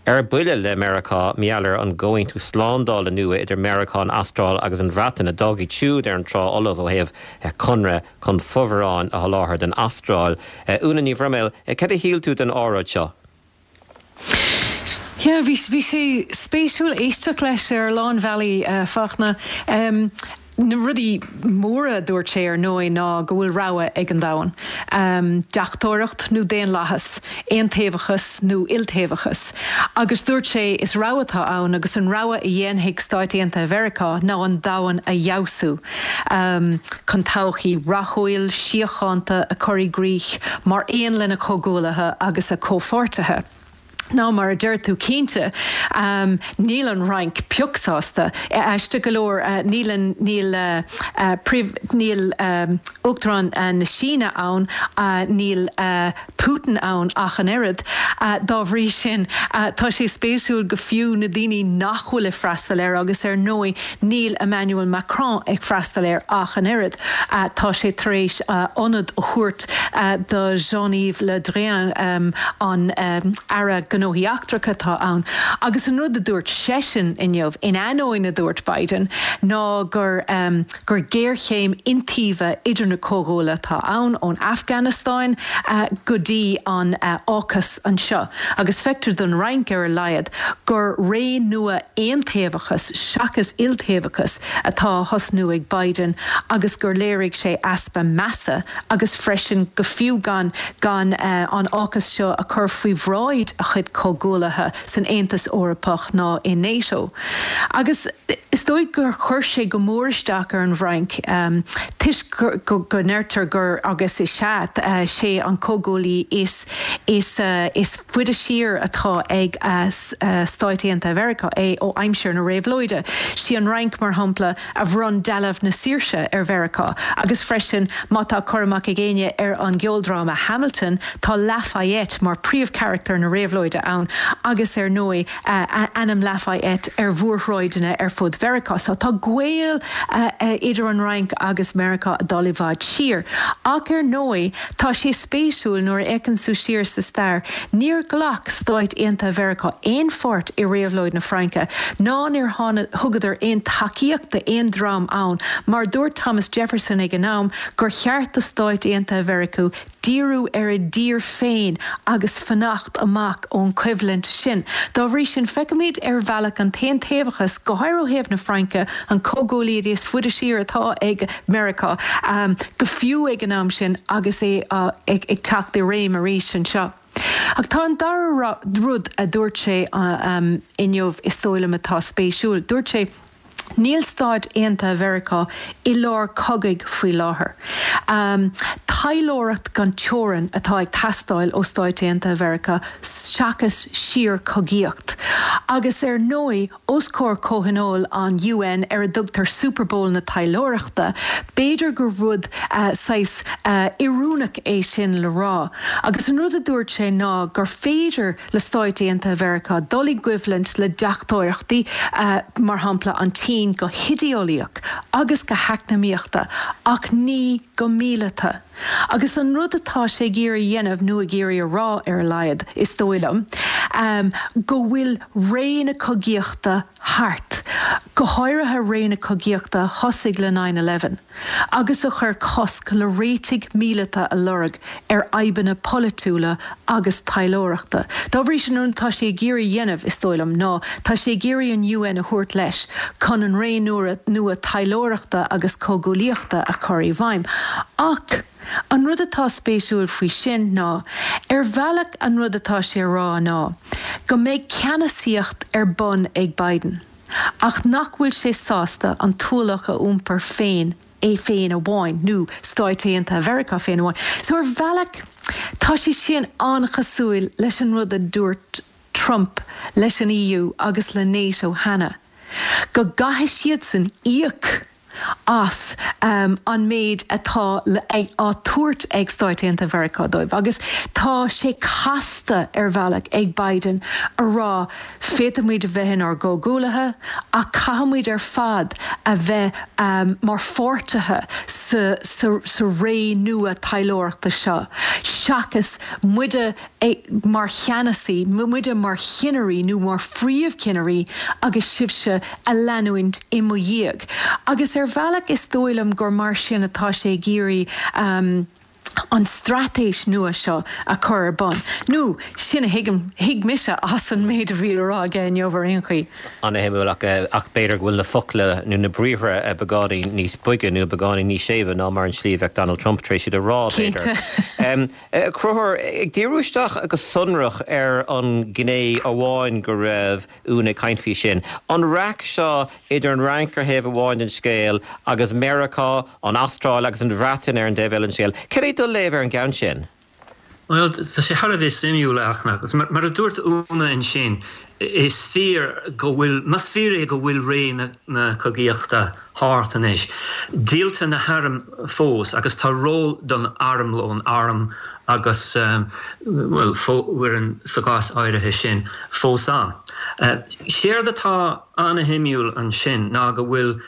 ar buile le Meiriceá mar gheall ar an gcomhaontú slándála nua idir Meiriceá, an Astráil agus an Bhreatain a d'fhág iad siúd ar an trá fholamh ó thaobh conradh chun fomhuireáin a sholáthar don Astráil. Úna Ní Bhroiméil, cad a shíl tú den óráid seo?
Yeah, bhí bhí sé spéisiúil éisteacht leis ar a lán bealaí Fachtna. Um, na rudaí móra a dúirt sé ar ndóigh ná go bhfuil rogha ag an domhan. Um, deachtóireacht nó daonlathas, aontaobhachas nó iltaobhachas. Agus dúirt sé is rogha atá ann agus an rogha a dhéanfaidh Stáit Aontaithe Mheiriceá ná an domhan a fheabhsú. Um, chun todhchaí rathúil síochánta a chur i gcrích mar aon lena chomhghuaillithe agus a chomhpháirtithe. Ná mar a deir tú cinnte um, níl an Fhrainc pioc sásta aisteach go leor uh, níl níl uh, uh, níl um, Uachtarán uh, na Síne ann uh, níl uh, Putin ann ach an oiread uh, dá bhrí sin uh, tá sé spéisiúil go fiú na daoine nach bhfuil ag freastal air agus ar ndóigh níl Emmanuel Macron ag freastal air ach an oiread uh, tá sé tar éis uh, ionad a thabhairt uh, do Jean-Yves Le Drian um, an um, Aire Gnóthaí Eachtracha atá ann. Agus an rud a dúirt seisean inniu in ainneoin a dúirt Biden ná gur um, gur géarchéim iontaoibhe idir na comhghuaillithe atá ann ón Afganastáin uh, go dtí an uh, AUKUS anseo. Agus feictear don Fhrainc ar a laghad gur ré nua aontaobhachas seachas iltaobhachas atá á thosnú ag Biden agus gur léirigh sé easpa measa agus freisin go fiú gan gan uh, an AUKUS seo a chur faoi bhráid a chuid comhghuaillithe san Aontas Eorpach ná i NATO. Agus is dóigh gur chuir sé go mór isteach ar an bhFrainc um, toisc go go ndeirtear gur agus is ea uh, sé an comhghuaillí is is uh, is faide siar atá ag uh, uh, Stáit Aontaithe Mheiriceá é ó aimsir na réabhlóide. Sí an Fhrainc mar shampla a bhronn dealbh na saoirse ar Mheiriceá, agus freisin má tá cur amach ag éinne ar an gceoldráma Hamilton tá Lafayette mar príomhcharachtar na réabhlóide ann agus ar ndóigh uh, ainm Lafayette ar mhórshráideanna ar fud Mheiriceá, so tá gaol uh, uh, idir an Fhrainc agus Meiriceá dul i bhfad siar. Ach ar ndóigh tá sé spéisiúil nuair a fhéachann tú siar sa stair, níor ghlac Stáit Aontaithe Mheiriceá aon pháirt i réabhlóid na Fraince, ná níor thugadar aon tacaíocht d'aon dream ann, mar dúirt Thomas Jefferson ag an am gur cheart do Stáit Aontaithe Mheiriceá díriú ar a dtír féin agus fanacht amach ón choimhlint sin. Dá bhrí sin feicimid ar bhealach an t-aontaobhachas go háirithe ó thaobh na Fraince an comhghuaillí is faide siar atá ag Meiriceá um, go fiú ag an am sin agus é uh, ag, ag teacht i réim arís anseo. Ach tá an dara rud a dúirt sé uh, um, inniu is dóigh liom atá spéisiúil. Dúirt sé Níl Stáit Aontaithe Mheiriceá i lár cogaidh faoi láthair. Um, Taidhleoireacht gan teorainn atá ag teastáil ó Stáit Aontaithe Mheiriceá seachas síorchogaíocht. Agus ar ndóigh os comhair comhthionól an UN ar a dtugtar Super Bowl na taidhleoireachta, b'fhéidir gur rud uh, saghas uh, oiriúnach é sin le rá. Agus an rud a dúirt sé ná gur féidir le Stáit Aontaithe Mheiriceá dul i gcoimhlint le deachtóireachtaí uh, mar shampla an tSín go hidéeolaíoch agus go heacnamaíochta ach ní go míleata. Agus an rud atá sé ag iarraidh a dhéanamh nó ag iarraidh a rá ar a laghad is dóigh liom, um, go bhfuil ré na cogaíochta thart, go háirithe ré na cogaíochta a thosaigh le nine eleven, agus a chuir cosc le réitigh míleata a lorg ar fhadhbanna polaitiúla agus taidhleoireachta. Dá bhrí sin an tá sé ag iarraidh a dhéanamh is dóigh liom ná tá sé ag iarraidh an UN a thabhairt leis chun an ré nua taidhleoireachta agus comhghuaillíochta a chur i bhfeidhm. Ach an rud atá spéisiúil faoi sin ná, ar bhealach an rud atá sé a rá ná, go mbeidh ceannasaíocht ar bun ag Biden, ach nach bhfuil sé sásta an t-ualach a iompar féin, é féin amháin, nó Stáit Aontaithe Mheiriceá féin amháin. So ar bhealach tá sé sin an-chosúil leis an rud a dúirt Trump leis an EU agus le NATO cheana, go gcaithfidh siadsan íoc as an méid atá á tabhairt ag Stáit Aontaithe Mheiriceá dóibh. Agus tá sé casta ar bhealach ag Biden a rá féadfaimid a bheith inár gcomhghuaillithe ach caithfimid ar fad a bheith mar pháirtithe sa sa ré nua taidhleoireachta seo seachas muide mar cheannasaí, muide mar chinnirí nó mar phríomhchinnirí agus sibhse a leanúint i mo dhiaidh. Agus ar bhealach is dóigh liom gur mar sin atá sé ag iarraidh an straitéis nua seo a chur ar bun. Nó sin a thuigim, thuig mise as an méid a bhí le rá aige inniu ar aon chaoi.
An-shuimiúil ach ach b'fhéidir go bhfuil na focla nó na briathra beagáinín níos boige nó beagáinín níos séimhe ná mar an slí a bheadh Donald Trump tar éis iad a rá, b'fhéidir. A Chonchúir, ag díriú isteach go sonrach ar an ghné amháin go raibh Úna ag caint faoi sin, an raic seo idir an Fhrainc ar thaobh amháin den scéal agus Meiriceá, an Astráil agus an Bhreatain ar an dtaobh eile den scéal, cad é do léamh ar an gceann sin?
Bhuel, tá sé thar a bheith suimiúil, a Fhachtna, agus mar a dúirt Úna ansin, is fíor go bhfuil, más fíor é go bhfuil ré na cogaíochta thart anois, díoltar na hairm fós agus tá ról don armlón, arm agus, bhuel, fomhuireáin sa gcás áirithe sin, fós ann. Séard atá an-shuimiúil ansin ná go bhfuil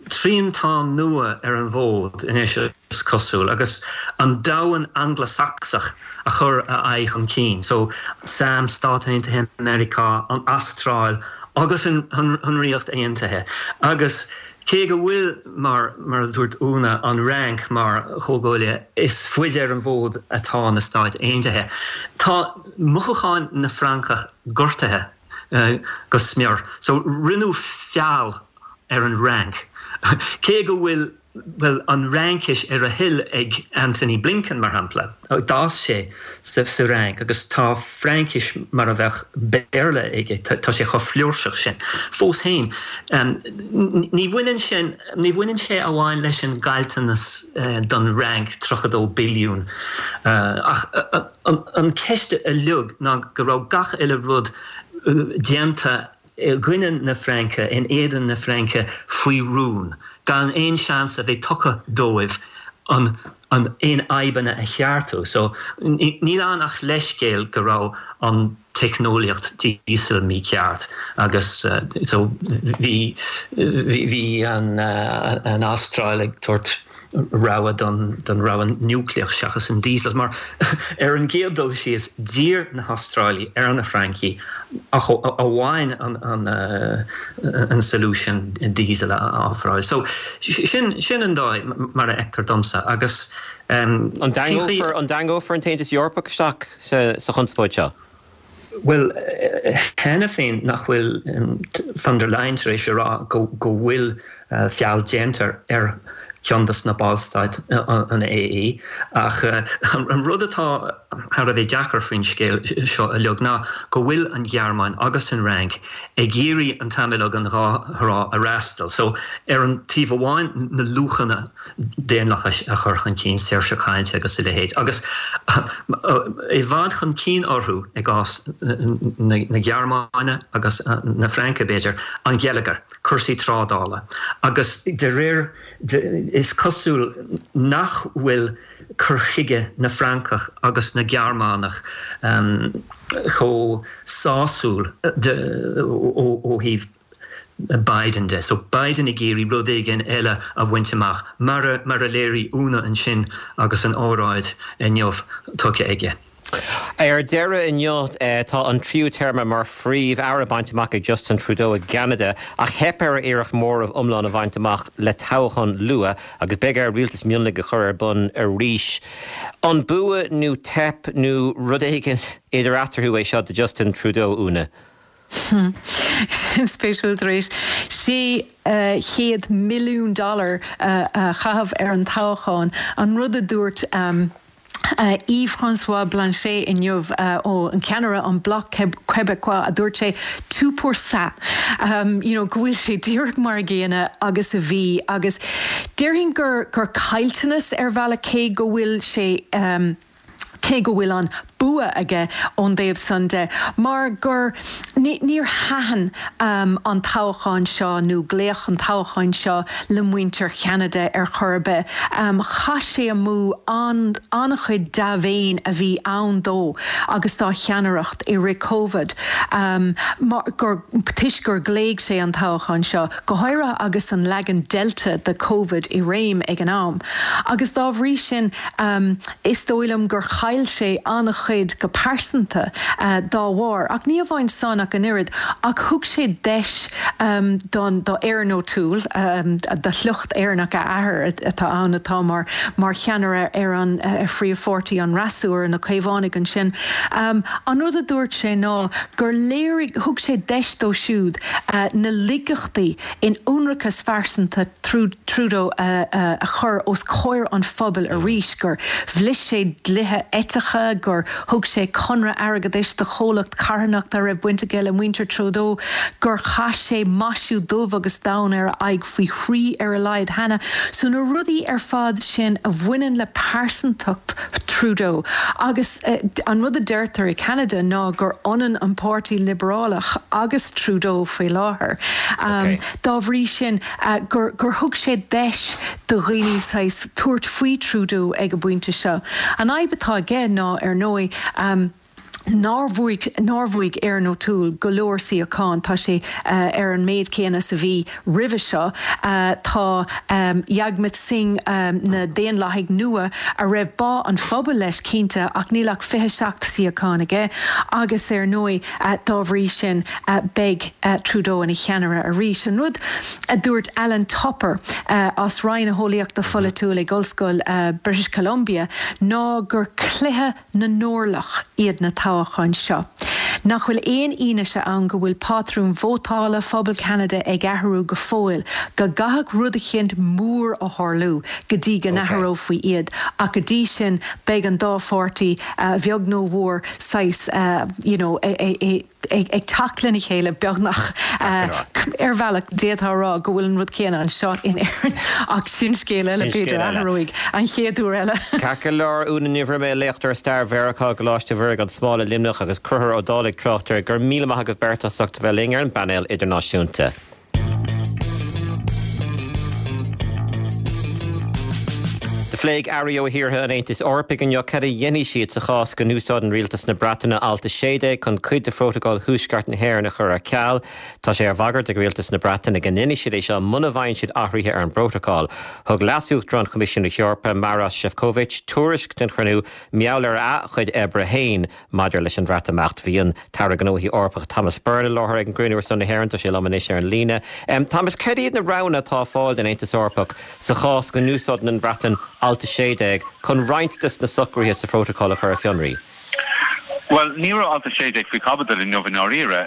triantán nua ar an bhfód anois, is cosúil, agus an domhan Angla-Sacsach a chur a aghaidh chun cinn. So, sam, Stáit Aontaithe Meiriceá, an Astráil agus an Ríocht Aontaithe. Agus cé go bhfuil, mar mar a dúirt Úna, an Fhrainc mar chomhghuaillí, is faide ar an bhfód atá na Stáit Aontaithe. Tá mothúcháin na Francach gortaithe go smior. So, rinneadh feall ar an Fhrainc. Cé go bhfuil, bhuel, an Fhraincis ar a thoil ag Antony Blinken, mar shampla, d'fhás sé sa Fhrainc agus tá Fraincis mar a bheadh Béarla aige, tá sé chomh flúirseach sin. Fós féin, ní bhaineann sin, ní bhaineann sé amháin leis an gcaillteanas don Fhrainc, tríocha dó billiún, ach an cheist uilig ná go raibh gach uile rud déanta i gcoinne na Fraince, in éadan na Fraince, faoi rún, gan aon seans a bheith tugtha dóibh an an aon fhadhbanna a cheartú. So, níl ann ach leithscéal go raibh an teicneolaíocht díosail mícheart agus so bhí bhí an an Astráil ag tabhairt rogha don don rogha núicléach seachas an diesel mar ar an gcéad dul síos d'iarr na hAstrálaigh ar na Francaigh ach amháin an an an solution diesel a ofráil. So sin sin an dóigh mar a fheictear domsa agus
um, An dtarraingeofar an dtarraingeofar an tAontas Eorpach isteach sa sa chonspóid seo?
Bhuel, cheana féin nach bhfuil von der Leyen tar éis a rá go go bhfuil feall déanta ar cheann de na ballstáit an A E ach an rud atá thar a bheith deacair faoin scéal seo uilig ná go bhfuil an Ghearmáin agus an Fhrainc ag iarraidh an t-am uilig an dhá thrá a fhreastal. So ar an taobh amháin na luachanna daonlathais a chur chun cinn, saoirse cainte agus a leithéid, agus i bhfad chun cinn orthu i gcás na Gearmáine agus na Fraince b'fhéidir, an geilleagar, cúrsaí trádála agus de réir is cosúil nach bhfuil cur chuige na Francach agus na Gearmánach chomh sásúil ó thaobh Biden de. So Biden ag iarraidh rud éigin eile a bhaint amach mar a mar a léirigh Úna ansin agus an óráid inniu tugtha aige.
Ar deireadh inniu tá an tríú téarma mar phríomh-aire bainte amach ag Justin Trudeau i gCeanada ach theip ar a iarracht móramh iomlán a bhaint amach le toghchán luath agus beidh air rialtas mionlaigh a chur ar bun arís. An bua nó teip nó rud éigin idir eatarthu é seo do Justin Trudeau Úna?
Sin spéisiúil tar éis sé chéad milliún dollar a chaitheamh ar an toghchán an rud a dúirt um, Yves-François Blanchet inniu ó an ceannaire an Bloc Québécois a dúirt sé tout pour ça um, you know, go bhfuil sé díreach mar an gcéanna agus a bhí agus déarfainn gur gur caillteanas ar bhealach cé go bhfuil sé um, cé go bhfuil an bua aige ón dtaobh san de, mar gur níor thaitin an toghchán seo nó glaoch an toghcháin seo le muintir Cheanada ar chor ar bith. Chaith sé amú an-chuid dea-mhéin a bhí ann dó agus dá cheannaireacht i rith Covid mar gur toisc gur ghlaoigh sé an toghchán seo, go háirithe agus an leagan Delta de Covid i réim ag an am. Agus dá bhrí sin is dóigh liom gur chaill sé an-chuid go pearsanta dá bharr. Ach ní amháin san ach an oiread, ach thug sé deis don do Erin O'Toole, de shliocht Éireannach a athair atá ann atá mar mar cheannaire ar an phríomhpháirtí, an fhreasúra, na Caomhánaigh ansin. An rud a dúirt sé ná gur léirigh, thug sé deis dó siúd na laigeachtaí in ionracas phearsanta Trudeau a chur os comhair an phobail arís, gur bhris sé dlíthe eitice, gur thug sé conradh airgeadais do chomhlacht carthanachta a raibh baint aige le muintir Trudeau, gur chaith sé maisiú dubh agus donn ar a aghaidh faoi thrí ar a laghad cheana. So na rudaí ar fad sin a bhaineann le pearsantacht Trudeau. Agus an rud a deirtear i Ceanada ná gur ionann an Páirtí Liobrálach agus Trudeau faoi láthair. Dá bhrí sin gur gur thug sé deis do dhaoine saghas tabhairt faoi Trudeau ag an bpointe seo. An fhadhb atá aige ná, ar ndóigh, nár bhuaigh nár bhuaigh Erin O'Toole go leor suíochán, tá sé ar an méid céanna is a bhí roimhe seo. Tá Jagmeet Singh na Daonlathaigh Nua, a raibh bá an phobail leis cinnte, ach níl ach fiche seacht suíochán aige agus ar ndóigh dá bhrí sin beidh Trudeau ina cheannaire arís. An rud a dúirt Allan Tupper as Roinn na hEolaíochta Pholaitiúil ag Ollscoil British Columbia ná gur cluiche na n-orlach iad na toghcháin seo. Nach bhfuil aon fhianaise ann go bhfuil pátrún vótála phobal Cheanada ag athrú go fóill, go gcaithfeadh rud eicínt mór a tharlú go dtí go n-athrófaí iad, ach go dtí sin beidh an dá pháirtí, a bheag nó a mhór, saghas you know ag teacht lena chéile beagnach. Ar bhealach d'fhéadfá a rá go bhfuil an rud céanna anseo in Éirinn ach sin scéal eile, b'fhéidir, a athróidh an chéad uair eile.
Ceart go leor, Úna Ní Bhroime, léachtóir stair Mheiriceá i gColáiste Mhuire gan Smál i Luimneach agus Conchúr Ó Dálaigh, tráchtaire, go raibh míle maith agaibh beirt as ucht a bheith linn ar an bpainéal idirnáisiúnta. Do phléigh airí ó thíortha an Aontais Eorpaigh inniu cad a dhéanfaidh siad sa chás go n-úsáideann rialtas na Breataine Alt a sé déag chun cuid de Phrótacal Thuaisceart na hÉireann a chur ar ceal. Tá sé ar bhagairt ag rialtas na Breataine go ndéanfaidh siad é seo muna bhfaigheann siad athruithe ar an bprótacal. Thug Leas-Uachtarán Choimisiún na hEorpa, Maros Sefcovic, tuairisc den chruinniú mar gheall ar a chuid oibre féin maidir leis an Bhreatimeacht. Bhí an tAire Gnóthaí Eorpacha Thomas Byrne i láthair ag an gcruinniú ar son na hÉireann. Tá sé liom anois ar an líne. Thomas, cad iad na roghanna atá ar fáil don Aontas Eorpach sa chás go n-úsáideann an Bhreatain Alt a sé déag chun roinnt de na socruithe sa Phrótacal a chur ar fionraí?
Bhuel, ní raibh Alt a sé déag faoi chaibidil inniu i ndáiríre.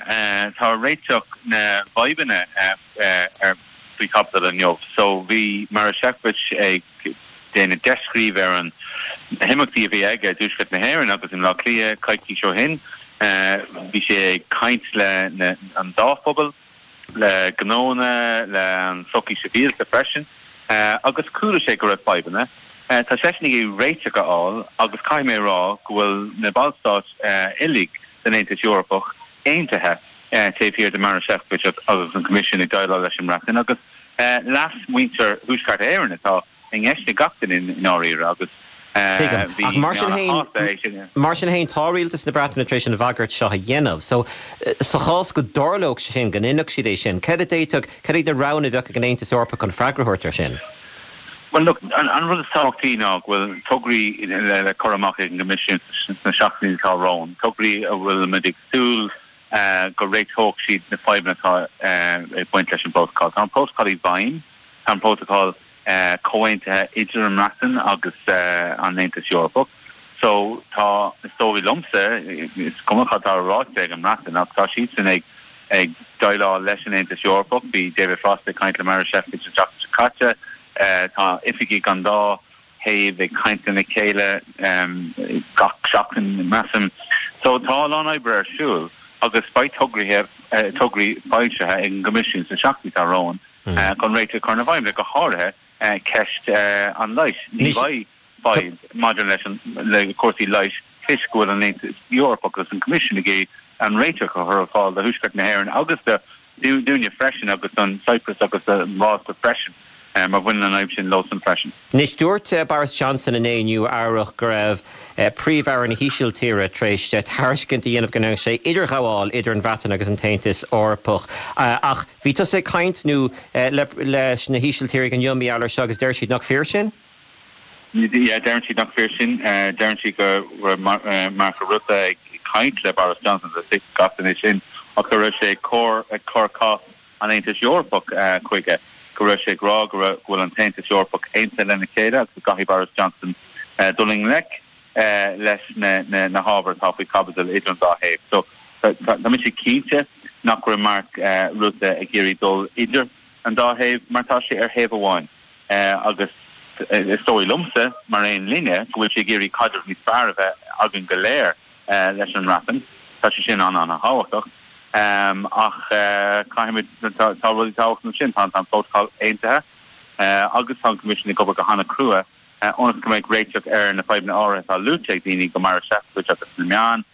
Tá réiteach na bhfadhbanna ar faoi chaibidil inniu. So bhí Maroš Šefčovič ag déanamh descríobh ar an na himeachtaí a bhí aige i dTuaisceart na hÉireann agus i mBleá Cliath coicís ó shin. Bhí sé ag caint le an dá phobal, le gnónna, le an tsochaí sibhialta freisin, agus chuala sé go raibh fadhbanna. Tá seisean ag iarraidh réiteach a fháil agus caithfidh mé a rá go bhfuil na ballstáit uilig den Aontas Eorpach aontaithe taobh thiar de Maroš Šefčovič agus an Coimisiún ag déileáil leis an mBreatain agus leas mhuintir Thuaisceart Éireann atá i gceist ag gach duine i ndáiríre agus
Tuigim. Ach mar sin féin, mar sin féin, tá rialtas na Breataine tar éis an bhagairt seo a dhéanamh. So, sa chás go dtarlódh sé sin, go ndéanfadh siad é sin, cad a d'fhéadfadh, cad iad na roghanna a bheadh ag an Aontas Eorpach chun freagra a thabhairt air sin?
Bhuel, look, an, an rud is tábhachtaí ná go bhfuil tograí le, le cur amach ag an gCoimisiún sna seachtainí atá romhainn, tograí a bhfuil muid ag súil go réiteoidh siad na fadhbanna atá ag baint leis an bprótacal. Tá an prótacal i bhfeidhm, tá an prótacal comhaontaithe idir an mBreatain agus an Aontas Eorpach. So tá, is dóigh liomsa, is cuma cad atá ráite ag an mBreatain, ach tá siadsan ag ag déileáil leis an Aontas Eorpach. Bhí David Frost ag caint le Maroš Šefčovič an tseachtain seo caite. Tá oifigigh an dá thaobh ag caint lena chéile gach seachtain, measaim. So tá a lán oibre ar siúl agus beidh tograithe, tograí foilsithe ag an gCoimisiún sna seachtainí atá romhainn chun réiteach a chur ar na fadhbanna, go háirithe ceist an leighis. Ní bheidh fadhb maidir leis an, le cúrsaí leighis toisc go bhfuil an Aontas Eorpach agus an Coimisiún ag iarraidh an réiteach a chur ar fáil do Thuaisceart na hÉireann agus do dúinne freisin agus don Cyprus agus do Mhálta freisin mar bhaineann an fhadhb sin leosan freisin.
Anois dúirt Boris Johnson inné i Nua Eabhrac go raibh Príomh-Aire na hÍsiltíre tar éis tairiscint a dhéanamh go ndéanfadh sé idirghabháil idir an Bhreatain agus an tAontas Eorpach. Ach bhí tusa ag caint nó leis na hÍsiltírigh inniu mar gheall air seo agus deir siad nach fíor sin?
Yeah, deireann siad nach fíor sin. Deireann siad go raibh Mark Rutte ag caint le Boris Johnson gach duine sin ach go raibh sé ag cur cás an Aontais Eorpach chuige, go raibh sé ag rá go bhfuil an tAontas Eorpach aontaithe lena chéile agus go gcaithfidh Boris Johnson dul i ngleic leis na hábhair atá faoi chaibidil idir an dá thaobh. So tá mise cinnte nach raibh Mark Rutte ag iarraidh dul idir an dá thaobh mar tá sé ar thaobh amháin agus is dóigh liomsa, mar aon linne, go bhfuil sé ag iarraidh caidreamh níos fearr a bheith againn go léir leis an mBreatain. Tá sé sin an-an-thábhachtach. Ach caithfimid, tá rudaí tábhachtacha ansin, tá an prótacal aontaithe agus tá an Coimisiún ag obair go han-chrua ionas go mbeidh réiteach ar na fadhbanna áirithe atá luaite ag daoine go Marois Sefcovic agus na meáin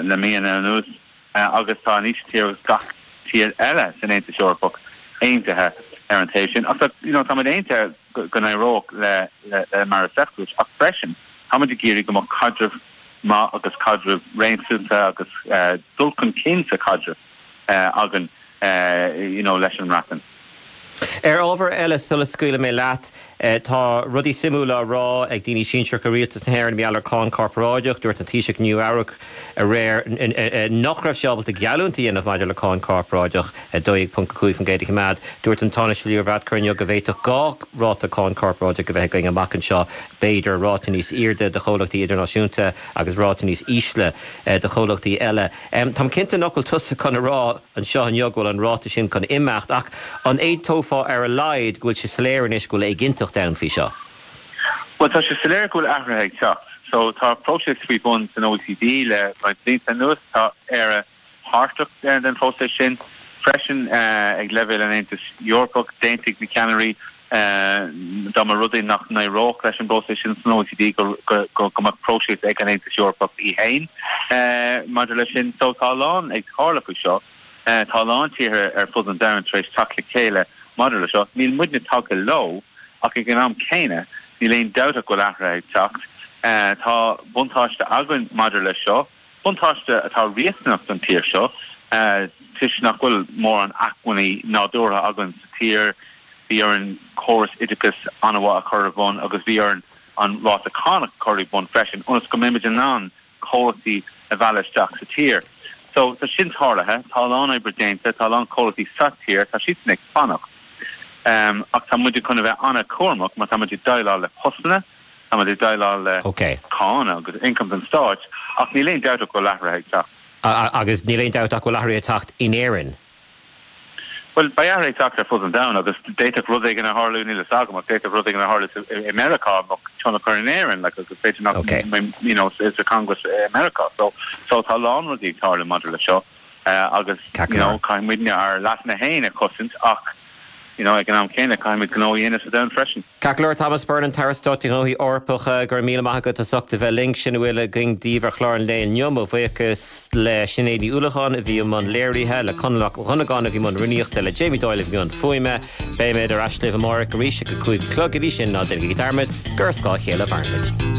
le míonna anuas agus tá an Ísiltír agus gach tír eile san Aontas Eorpach aontaithe ar an taobh sin. Ach tá, you know, táimid aontaithe go n-éireodh le le Marois Sefcovic ach freisin táimid ag iarraidh go mbeadh caidreamh maith agus caidreamh réasúnta agus dul chun cinn sa chaidreamh againn you know, leis an mBreatain.
Ar ábhar eile sula scaoilfidh mé leat, tá rudaí suimiúla á rá ag daoine sinsearacha Rialtas na hÉireann mar gheall ar cháin chorparáideach. Dúirt an Taoiseach i Nua-Eabhrac aréir nach raibh sé ábalta geallúint a dhéanamh maidir le cáin chorparáideach a dó dhéag ponc a cúig faoin gcéad a choimeád. Dúirt an Tánaiste Leo Varadkar inniu go bhféadfadh dhá ráta cáin chorparáideach a bheith againn amach anseo, b'fhéidir ráta níos airde do chomhlachtaí idirnáisiúnta agus ráta níos ísle do chomhlachtaí eile. Táim cinnte nach bhfuil tusa chun a rá anseo inniu go bhfuil an ráta sin chun imeacht ach an aontófá ar a laghad go bhfuil sé soiléir anois go bhfuil éiginnteacht ann faoi seo?
Bhuel, tá sé soiléir go bhfuil athruithe ag teacht. So tá próiseas faoi bun san OECD le roinnt blianta anuas. Tá Éire páirteach den phróiseas sin freisin ag leibhéal an Aontais Eorpaigh. D'aontaigh na ceannairí dá mba rud é nach n-éireodh leis an bpróiseas sin san OECD go mbeadh próiseas ag an Aontas Eorpach í féin maidir leis sin. So tá a lán ag tarlú faoi seo. Tá a lán tíortha ar fud an domhain tar éis teacht le chéile maidir le seo. Níl muidne tagtha leo ach ag an am céanna níl aon dabht ach go bhfuil athruithe ag teacht. Tá buntáiste againn maidir leis seo, buntáiste atá riachtanach don tír seo toisc nach bhfuil mórán acmhainní nádúrtha againn sa tír. Bhí orainn córas oideachais an-mhaith a chur ar bun agus bhí orainn an ráta cánach a chur i bun freisin ionas go mbeimid in ann comhlachtaí a mhealladh isteach sa tír. So tá sin tarlaithe, tá a lán oibre déanta, tá a lán comhlachtaí sa tír, tá siadsan ag fanacht. Ach tá muid chun a bheith an-chúramach mar tá muid ag déileáil le postanna, tá muid ag déileáil le cáin agus ioncam don stáit, ach níl aon dabht ach go bhfuil athruithe ag teacht.
Agus níl aon dabht ach go bhfuil athruithe ag teacht in Éirinn.
Bhuel, beidh athruithe ag teacht ar fud an domhain agus d'fhéadfadh rud éigin a tharlú, níl a fhios agam, ach d'fhéadfadh rud éigin a tharlú i Meiriceá a mbeadh tionchar in Éirinn, like, agus b'fhéidir nach mbeidh, you know, sa Congress i Meiriceá. So, so tá a lán rudaí ag tarlú maidir le seo agus, you know, caithfidh muidne ár leasanna féin a chosaint ach, you know, ag an am céanna caithfimid gnó a dhéanamh sa domhan freisin.
Ceart go leor, Thomas Byrne, an tAire Stáit do Ghnóthaí Eorpacha, go raibh míle maith agat as ucht a bheith linn. Sin a bhfuil againn daoibh ar chlár an lae inniu. Mo bhuíochas le Sinéad Ní Uallacháin a bhí i mbun léirithe, le Conall Mac Dhonnagáin a bhí i mbun rúnaíochta, le Jamie Doyle a bhí i mbun fuaime. Beimid ar ais libh amárach arís ag a cúig a chlog. Go dtí sin, ná déanaigí dearmad gur ar scáth a chéile a mhaireann muid.